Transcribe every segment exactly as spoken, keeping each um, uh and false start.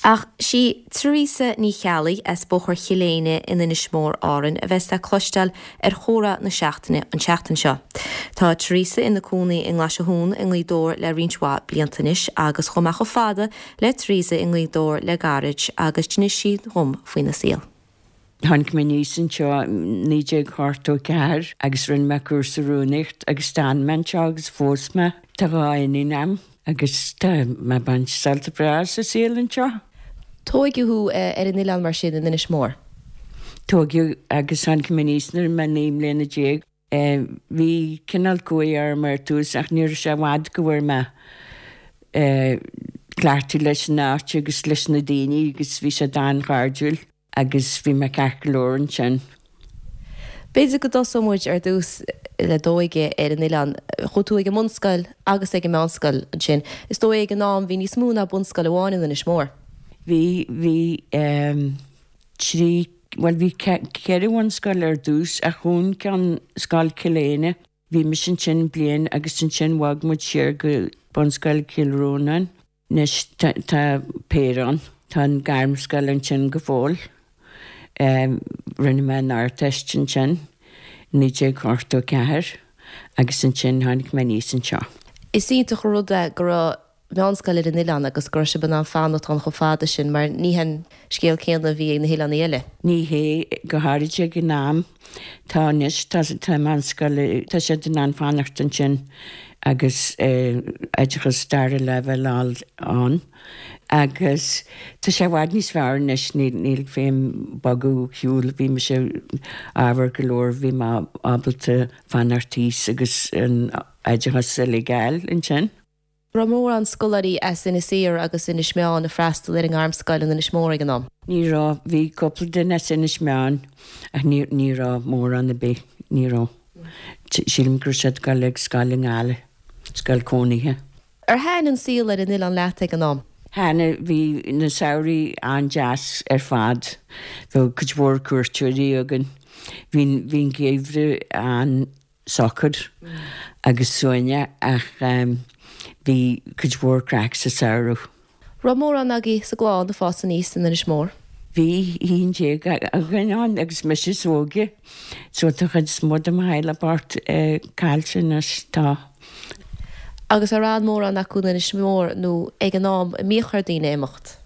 Ach sí Teresa Ní Cheallaigh as Bóthar Chill Éinne in Inis Mór Árainn a bheas le cloisteáil ar chomhrá na seachtaine an tseachtain seo. Tá Teresa ina cónaí i nGlaisthún i nGaoth Dobhair le roinnt mhaith blianta anois agus chuaigh mé chomh fada le Teresa i nGaoth Dobhair le gairid agus d'inis sí dhom faoina saol. Tháinig mé aníos anseo naoi déag ochtó ceathair agus rinne mé cúrsa rúnaíocht agus d'fhan mé anseo agus phós mé tá dhá iníon agam agus tá mé ag baint sult breá sa saol anseo. Tógadh thú ar an oileán mar sin in Inis Mór. Tógadh agus tháinig mé aníos nuair mé naoi mbliana déag. Bhí cineál cumhaidh orm ar tús ach ní raibh sé i bhfad go bhfuair mé cleachtadh leis an áit agus leis na daoine agus bhí sé an-chairdiúil agus bhí mé ceart go leor ansin. B'fhéidir go dtosóidh muid ar dtús le d'óige ar an oileán, chuaigh tú ag an mbunscoil agus ag an meánscoil ansin. Is dóigh ag an am bhí níos mó ná bunscoil amháin in Inis Mór. Bhí bhí trí well bhí ceithre bhunscoil ar dtús ach dhún ceann Scoil Chill Éinne. Bhí mise ansin bliain agus ansin bhog muid siar go Bunscoil Chill Rónáin. Anois tá péire ann, tá an gairmscoil ansin go fóill. Rinne mé an Ardteist ansin naoi déag ochtó ceathair agus ansin tháinig mé aníos anseo. Is iontach an rud é go raibh meánscoil ar an oileán agus go raibh sibh in ann fanacht ann chomh fada sin mar ní hen scéal céanna a bhí ag na hoileáin eile. Ní hé go háirid ag an am tá anois tá tá meánscoil tá siad in ann fanacht ansin agus oideachas dara leibhéal ann agus tá sé i bhfad níos fearr anois níl féim bogadh shiúl bhí mise ábhar go leor bhí mé ábalta fanacht thíos agus an oideachas uilig a fháil ansin. Raibh mórán scoláirí as Inis Oírr agus Inis Meáin ag freastal ar an ngairmscoil in Inis Mór ag an am. Ní raibh bhí cúpla duine as Inis Meáin ach ní ní raibh mórán ar bith ní raibh. Sílim go raibh siad ag dul ag scoil i nGaillimh, scoil cónaithe. Ar thaitin an saol ar an oileán leat ag an am? Thaitin bhí na samhraí an-deas ar fad, bheadh cuid mhór cuairteoirí againn. Bhí bhí an geimhreadh an-socair agus suaimhneach ach bhí cuid mhór craic sa samhradh. Raibh mórán agaibh sa gclann ag fás aníos in Inis Mór. Bhí haon déag againn ann agus mise is óige, so tá chuid is mó de mo theaghlach bocht caillte anois tá. Agus ar fhan mórán acu in Inis Mór nó ag an am a mbíodh ar daoine imeacht.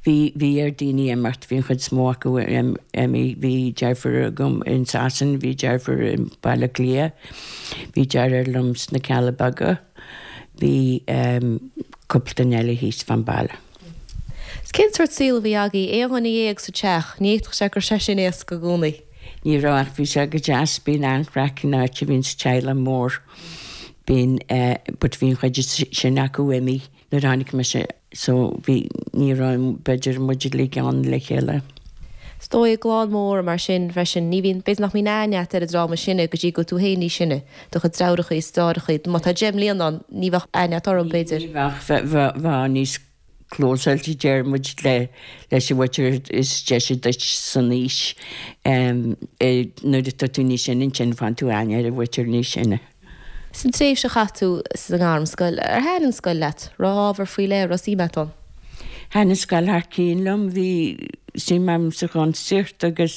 Bhí bhí ar daoine imeacht, bhí an chuid is mó acu imithe, bhí deirfiúr agam in Sasain, bhí deirfiúr i Baile Átha Cliath, bhí deartháir liom sna Cealla Beaga, bhí cúpla duine eile thíos fán baile. Cén sórt saol a bhí agaibh aon dhuine dhéag sa teach, ní fhéadfadh sé go raibh sé sin éasca i gcónaí. Ní raibh ach bhí sé go deas bíonn an-chraic in áit a bhíonn sa teaghlach mór. Bíonn but bhí an chuid sin acu imithe nuair a tháinig mise so bhí ní raibh b'fhéidir muid uilig ann le chéile. Is dóigh i gclann mór mar sin freisin ní bhíonn b'fhéidir nach mbíonn aithne agat ar an dream is sine go dtí go bhfuil tú féin níos sine, do chuid deartháireacha is deartháireacha, má tá deich mbliana ann ní bheadh aithne agat orthu b'fhéidir. Ní bheadh bheadh níos clósáilte deir muid le leis an mhuintir is deise duit san aois nuair atá tú níos sine ansin faigheann tú aithne ar an mhuintir níos sine. San tréimhse a chaith tú sa ngairmscoil, ar thaitin an scoil leat, raibh ábhar faoi leith raibh suim agat ann? Thaitin an scoil thar cionn liom, bhí suim agam sa chuntasaíocht agus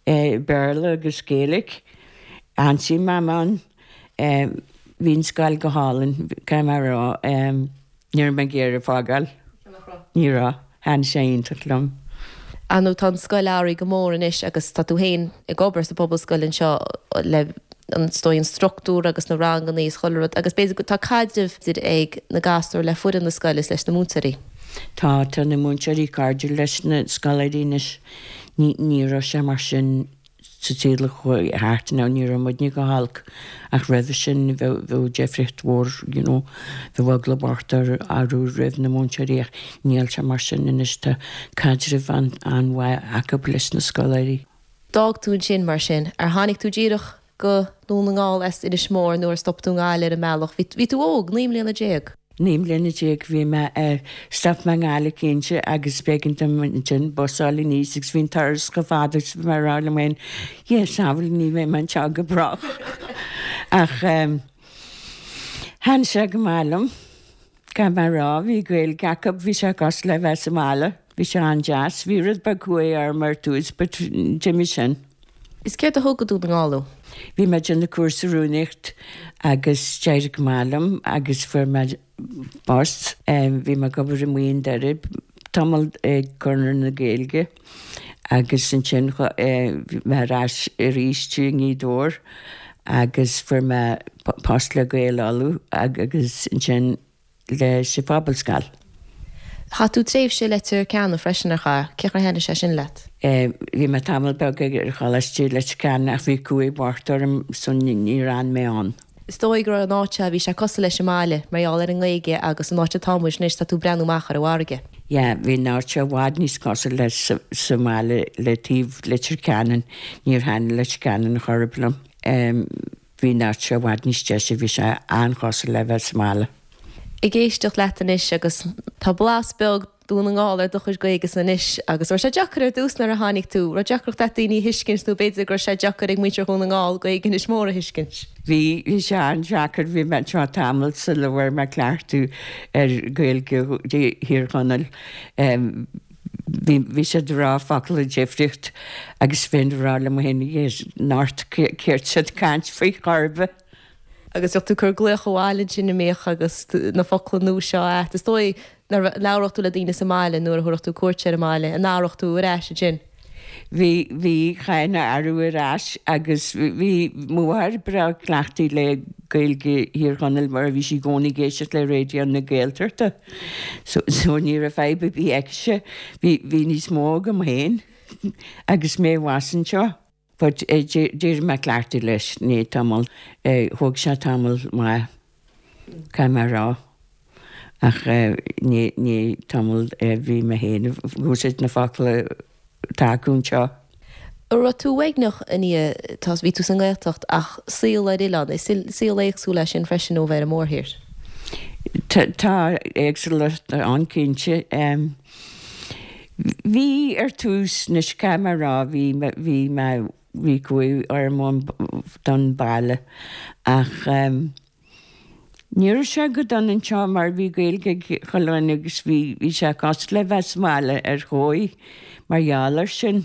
Béarla agus Gaeilge. An-suim agam ann. Bhí an scoil go hálainn, caithfidh mé a rá. Ní raibh mé ag iarraidh fágáil. Ní raibh. Thaitin sé iontach liom. Ar ndóigh tá an scoil athraithe go mór anois agus tá tú féin ag obair sa phobalscoil anseo le an dóigh an struchtúr agus na ranganna is chuile rud agus b'fhéidir go tá caidreamh ag na gasúir le foireann na scoile is leis na múinteoirí. Tá tá na múinteoirí cairdiúil leis na scoláirí anois. Ní ní raibh sé mar sin sa tsaol a chuaigh thart nó ní raibh muidne go holc ach roimhe sin bheadh bheadh difríocht mhór you know bheadh eagla bocht orthu roimh na múinteoirí ach níl sé mar sin anois tá caidreamh an an-mhaith acu leis na scoláirí. D'fhág tú ansin mar sin, ar tháinig tú díreach go Dún na nGall as Inis Mór nó ar stop tú i nGaillimh ar an mbealach, bhí tú óg, naoi mbliana déag. Naoi mbliana déag bhí mé stop mé i nGaillimh cinnte agus b'éigean dom ansin bus a fháil aníos agus bhí an turas chomh fada agus bhí mé ag rá liom féin Dhia sábháil ní bheidh mé anseo go brách. Ach thaitin sé go maith liom Caithfidh mé a rá, bhí Gaeilge acu, bhí sé cosúil le bheith sa mbaile. Bhí sé an-deas. Bhí rud beag cumhaidh orm ar tús but d'imigh sin. Is céard a thug go Dún na nGall thú? Bhí mé ag déanamh cúrsa rúnaíocht agus d'éirigh go maith liom agus fuair mé post. Bhí mé ag obair i Maigh an Doire tamall ag Conradh na Gaeilge agus ansin bhí mé ar ais arís i nGaoth Dobhair agus fuair mé post le Gaeil Uladh agus ansin leis an Phobalscoil. Chaith tú tréimhse i Leitir Ceanainn freisin, ar chaith? Cén chaoi ar thaitnigh sé sin leat? Bhí mé tamall beag ar Choláiste Leitir Ceanainn ach bhí cumhaidh bocht orm so níor fhan mé ann. Is dóigh go raibh an áit a bhí sé cosúil leis an mbaile mar gheall ar an nGaeilge agus an áit atá muid anois tá tú ag breathnú amach ar an bhfarraige. Yeah, bhí an áit seo i bhfad níos cosúil le sa mbaile le taobh Leitir Ceanainn, níor thaitnigh Leitir Ceanainn chor ar bith liom. Bhí an áit seo i bhfad níos deise, bhí sé an-chosúil le bheith sa mbaile. Ag éisteacht leat anois agus tá blas beag Dún na nGall ar do chuid Gaeilge anois agus raibh sé deacair ar dtús nuair a tháinig tú, raibh deacracht agat daoine a thuiscint nó b'fhéidir go raibh sé deacair ag muintir Dhún na nGall Gaeilge Inis Mór a thuiscint? Bhí, bhí sé an-deacair, bhí mé anseo tamall sula bhfuair mé cleachtadh ar Ghaeilge Thír Chonaill. Bhí, bhí siad ag rá focal difríocht agus bheinn ag rá liom féin, anocht céard siad ag caint faoi chor ar bith. Agus bheadh tú ag cur glaoch abhaile ansin an mbíodh agus na focla nua seo agat. Is dóigh nuair a labhródh tú le daoine sa mbaile nuair a thabharfadh tú cuairt ar an mbaile, an aireodh tú ar ais ansin? Bhí, bhí, chaithfinn a aireadh ar ais agus bhí mo mháthair breá cleachtaithe le Gaeilge Thír Chonaill mar bhí sí i gcónaí ag éisteacht le Raidió na Gaeltachta. So, so ní raibh fadhb ar bith aici. Bhí, bhí níos mó agam féin agus mé abhus anseo. But d'éirigh mé cleachtaithe leis i ndiaidh tamall, thóg sé tamall maith, caithfidh mé a rá, ach i ndiaidh tamall bhí mé féin ag úsáid na focla atá acu anseo. An raibh tú uaigneach i ndiaidh, tá, bhí tú sa nGaeltacht ach saol ar oileán, is saol éagsúil é sin freisin ó bheith ar an mórthír? Tá éagsúlacht ann cinnte. Bhí ar tús, anois caithfidh mé a rá, bhí, bhí mé, bhí cumhaidh orm don baile ach ní raibh sé go dona anseo mar bhí Gaeilge ag chuile dhuine agus bhí, bhí sé cosúil le bheith sa mbaile ar dhóigh mar gheall air sin.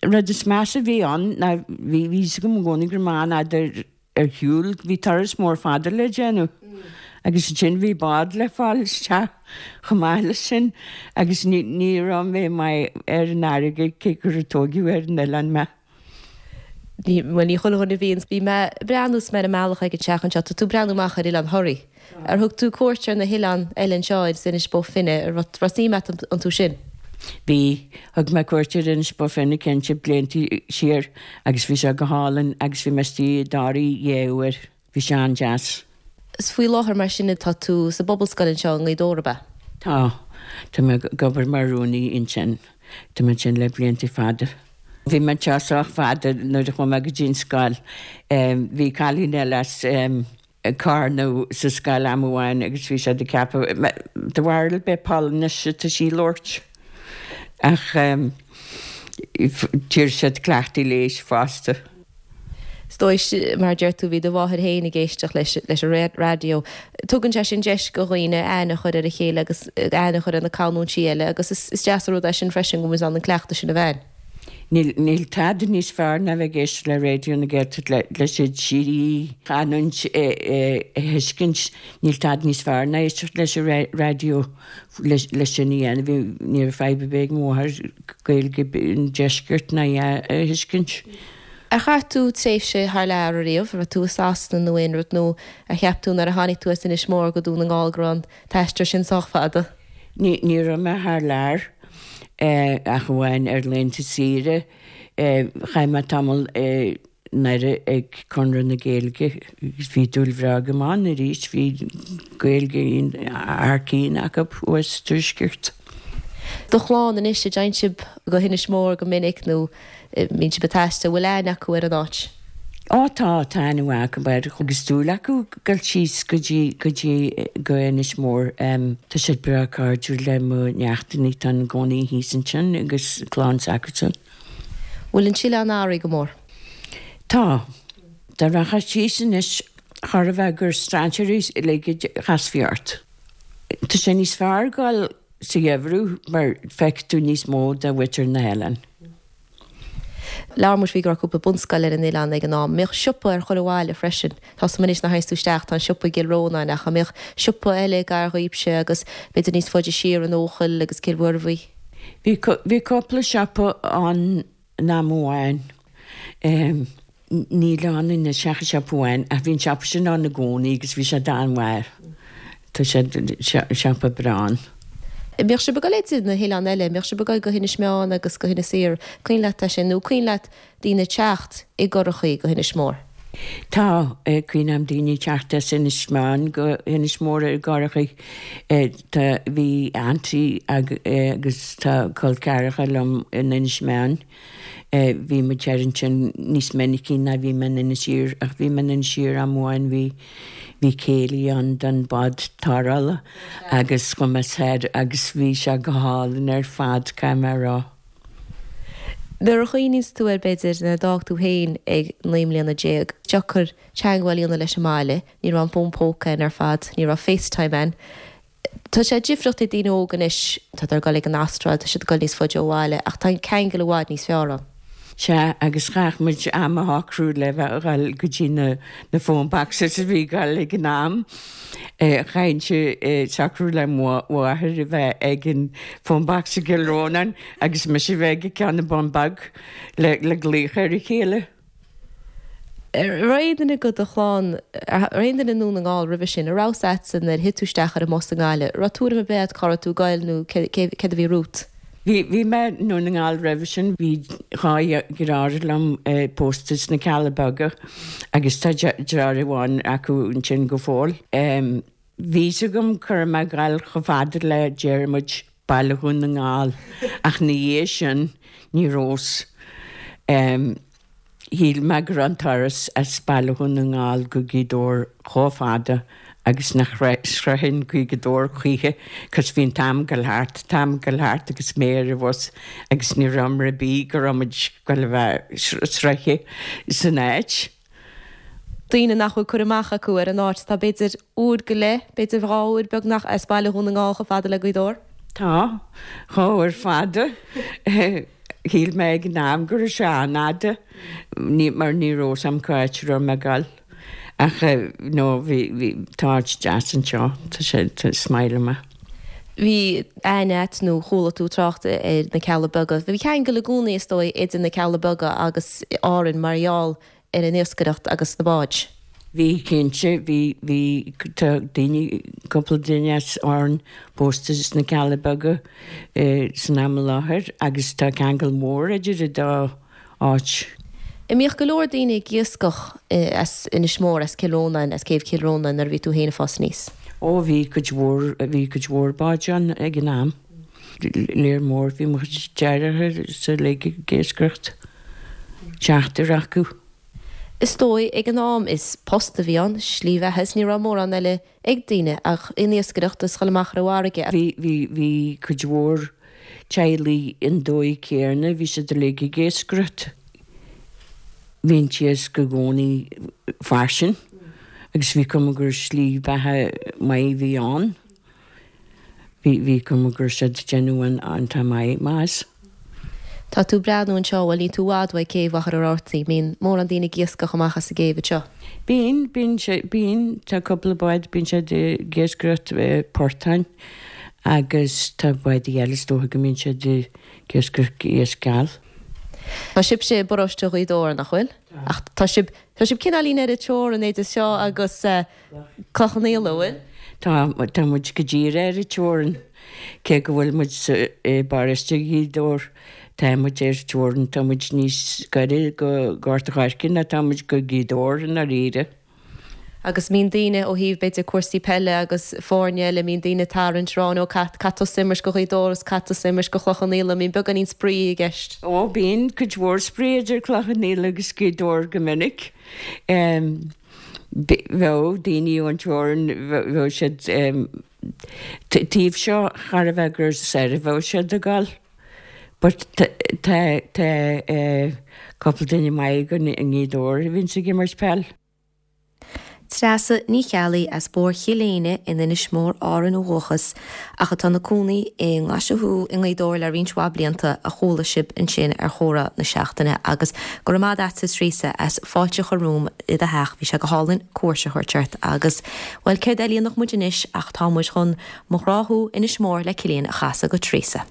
Rud is measa a bhí ann ná bhí, bhí fhios agam i gcónaí go raibh mé an-fhada ar, ar shiúl, bhí turas mór fada le déanamh agus ansin bhí bád le fáil isteach chomh maith leis sin agus ní ní raibh mé maith ar an fharraige cé gur tóigeadh ar an oileán mé. Ní, bhuel ní chuile dhuine a bhíonn, bhí mé ag breathnú is mé ar an mbealach ag an teach anseo, tá tú ag breathnú amach ar Oileán Thoraí. Ar thug tú cuairt ar na hoileáin eile anseo ar Inis Bó Finne, an raibh suim agat iontu sin? Bhí. Thug mé cuairt ar Inis Bó Finne cinnte blianta siar agus bhí sé go hálainn agus bhí mé istigh i dToraí dhá uair. Bhí sé an-deas. Is faoi láthair mar sin atá tú sa bPobalscoil anseo i nGaoth Dobhair, ab ea? Tá. Tá mé ag obair mar rúnaí ansin. Tá mé ansin le blianta fada. Bhí mé anseo sách fada nuair a chuaigh mé go dtí an scoil. Bhí cailín eile as. ag Carna sa scoil am amháin agus bhí siad ag ceapadh de bharr b'é Polainnis atá sí ag labhairt ach d'iarr siad cleachtaidh léis fosta. Is dóigh, mar a deir tú, bhí do mháthair féin ag éisteacht leis leis an raidió. Tugann sé sin deis do dhaoine aithne a chur ar a chéile agus aithne a chur ar na canúintí eile agus is deas an rud é sin freisin go bhfuil muid in ann an cleachtadh sin a bheith againn. Níl, níl tada níos fearr ná bheith ag éisteacht le Raidió na Gaeltachta le, leis an trí chanúint a, a, a thuiscint. Níl tada níos fearr ná éisteacht leis an raidió leis, leis sin a dhéanamh. Bhí, ní raibh fadhb ar bith ag mo mháthair Gaeilge an deiscirt ná a, a thuiscint. Ar chaith tú tréimhse thar lear ariamh? An raibh tú i Sasana nó aon rud nó ar cheap tú nuair a tháinig tú as Inis Mór go Dún na nGall go raibh an t-aistear sin sách fada? Ní, ní raibh mé thar lear. Ach amháin ar laethanta saoire. Chaith mé tamall i nDoire ag Conradh na Gaeilge agus bhí dúil bhreá agam ann arís. Bhí Gaeilge thar cinn acu thuas sa Tuaisceart. Do chlann anois, an dtéann sibh go hInis Mór go minic nó mbíonn sibh ag taisteal, bhfuil aithne acu ar an áit? Ó tá, tá aithne mhaith acu air agus dúil acu dul síos go dtí, go dtí, go Inis Mór. Tá siad breá cairdiúil le mo neachtanna atá ina gcónaí thíos ansin agus clann s'acusan. Bhfuil an t-oileán athraithe go mór? Tá. Dá rachfá síos anois Chóir a bheith gur strainséirí uilig a chasfaí ort. Tá sé níos fearr dul sa gheimhreadh mar feicfidh tú níos mó de mhuintir na hoileáin. Labhair muid faoi go raibh cúpla bunscoil ar an oileán ag an am. Mbeadh siopa ar chuile bhaile freisin. Tá a fhios agam anois nuair a théanns tú isteach tá an siopa i gCill Rónáin ach an mbeadh siopa eile gar dhaoibhse agus b'fhéidir níos faide siar in Eochaill agus Cill Mhuirbhigh? Bhí bhí cúpla siopa ann in am amháin. Níl ann anois ach siopa amháin ach bhí an siopa sin ann i gcónaí agus bhí sé an-mhaith. Tá sé siopa breá ann. Bheadh sibh ag dul idir na hoileáin eile, bheadh sibh ag dul go hInis Meáin agus go hInis Oírr, cuimhin leat é sin nó cuimhin leat daoine ag teacht i gcurachaí go hInis Mór? Tá, cuimhin liom daoine ag teacht as Inis Meáin go hInis Mór i gcurachaí. Tá, bhí auntie agus tá col ceathracha liom in Inis Meáin. Bhí muid thoir ansin níos minicí ná bhí mé in Inis Oírr ach bhí mé in Inis Oírr am amháin bhí Bhí céilí ann don bád tarrthála agus chuaigh mé soir agus bhí sé go hálainn ar fad, caithfidh mé a rá. Nuair a chuimhníonns tú air b'fhéidir nuair a d'fhág tú féin ag naoi mbliana déag, deacair teagmháil a dhéanamh leis an mbaile, ní raibh an fón póca ann ar fad, ní raibh FaceTime ann. Tá sé difriúil ag daoine óga anois, tá siad ag dul ag an Astráil, tá siad ag dul níos faide ó bhaile ach tá an ceangal i bhfad níos fearr ann. Sea, agus chaithfeadh muid am a shocrú le bheith a dhul go dtí na na phone boxes a bhí ag dul ag an am. Chaithfinnse socrú le mo mháthair a bheith ag an phone box i gCill Rónáin agus mise a bheith ag ceann i mBun Beag le le glaoch ar a chéile. Raibh aon duine de do chlann, raibh aon duine i nDún na nGall roimhe sin, an raibh a fhios agatsa nuair a thit tú isteach ar an mbus i nGaillimh, raibh tuairim ar bith agat cá raibh tú ag goil nó céard a bhí romhat? Bhí, bhí mé i nDún na nGall roimhe sin, bhí dhá dheartháir liom pósta sna Cealla Beaga agus tá deartháir amháin acu ansin go fóill. Bhí fhios agam go raibh mé ag dul chomh fada le, déarfaidh muid, Baile Dhún na nGall ach ina dhiaidh sin ní raibh fhios. Shíl mé go raibh an turas as Baile Dhún na nGall go Gaoth Dobhair chomh fada agus nach sroichfinn Gaoth Dobhair choíche cos bhí an t-am ag dul thart, t-am ag dul thart agus mé ar an bhus agus ní raibh am ar bith go raibh muid ag dul a bheith sroichte san áit. Daoine nach bhfuil cur amach acu ar an áit, tá b'fhéidir uair go leith, b'fhéidir dhá uair beagnach as Baile Dhún na nGall chomh fada le Gaoth Dobhair. Tá, dhá uair fada. Shíl mé ag an am go raibh sé an-fhada, mar ní raibh fhios a'm cá háit a raibh mé ag dul. Ach no, bhí, bhí, tá áit deas anseo, tá sé, tá, is maith liom é. Bhí aithne agat nó chuala tú trácht ar na Cealla Beaga. Bhí ceangal i gcónaí is dóigh idir na Cealla Beaga agus Árainn mar gheall ar an iascaireacht agus na báid. Bhí, cinnte, bhí, bhí, tá daoine, cúpla duine as Árainn pósta sna Cealla Beaga san am i láthair agus tá ceangal mór idir an dá áit. An mbíodh go leor daoine ag iascach as Inis Mór, as Cill Rónáin, as céibh Chill Rónáin nuair a bhí tú féin ag fás aníos? Ó bhí cuid mhór, bhí cuid mhór báid ann ag an am. Léar mór, bhí mo chuid deartháireacha is uilig ag iascaireacht, seachtar acu. Is dóigh, ag an am, is post a bhí ann, slí bheatha, is ní raibh mórán eile ag daoine ach an iascaireacht is dhul amach ar an bhfarraige. Bhí, bhí, bhí cuid mhór teaghlaigh an dóigh céarna, bhí siad uilig ag iascaireacht. Bhí an t-iasc i gcónaí fairsing agus bhí cuma gur slí bheatha maith a bhí ann. Bhí, bhí cuma go raibh siad ag déanamh an, iontach maith, maith as. Tá tú ag breathnú anseo, bhuel níl tú i bhfad uaidh céibh Mhachaire Rabhartaigh, mbíonn mórán daoine ag iascach amach as an gcéibh anseo? Bíonn, bíonn sé, bíonn, tá cúpla bád, bíonn siad ag iascaireacht portáin agus tá bádaí eile is dócha go mbíonn siad ag iascaireacht iasc geal. Tá sibhse i bparóiste Ghaoth Dobhair, nach bhfuil? Tá. Ach tá sibh, tá sibh cineáilín ar an teorainn idir seo agus Cloich Cheann Fhaola, an bhfuil? Tá, tá muid go díreach ar an teorainn. Cé go bhfuil muid sa, i bparóiste Ghaoth Dobhair, tá muid ar an teorainn, tá muid níos gaire go Gort a' Choirce ná tá muid go Gaoth Dobhair i ndáiríre. Agus mbíonn daoine ó thaobh b'fhéidir cúrsaí peile agus foirne eile, mbíonn daoine ag tarraingt, rá nó caithfidh tusa imirt go Ghaoth Dobhair is caithfidh tusa imirt go Chloich Cheann Fhaola, mbíonn beagáinín spraoi i gceist? Ó, bíonn cuid mhór spraoi idir Cloich Cheann Fhaola agus Gaoth Dobhair go minic. Bheadh daoine ón teorainn, bheadh siad taobh seo chóir a bheith gur soir a bheadh siad ag dul. But tá tá cúpla duine maith againn i nGaoth Dobhair a bhíonns ag imirt peil. Treasa Ní Cheallaigh as Bóthar Chill Éinne in Inis Mór Árann ó dhúchas ach atá ina cónaí i nGlaise Thú i nGaoth Dobhair le roinnt mhaith blianta a chuala sibh ansin ar chomhrá na seachtaine agus go raibh maith agat Teresa as fáilte a chur romham i do theach bhí sé go hálainn cuairt a thabhairt ort agus well céard eile a dhéanfadh muid anois ach tá muid chun Mo Ghrá Thú Inis Mór le Cillian a chasadh do Teresa.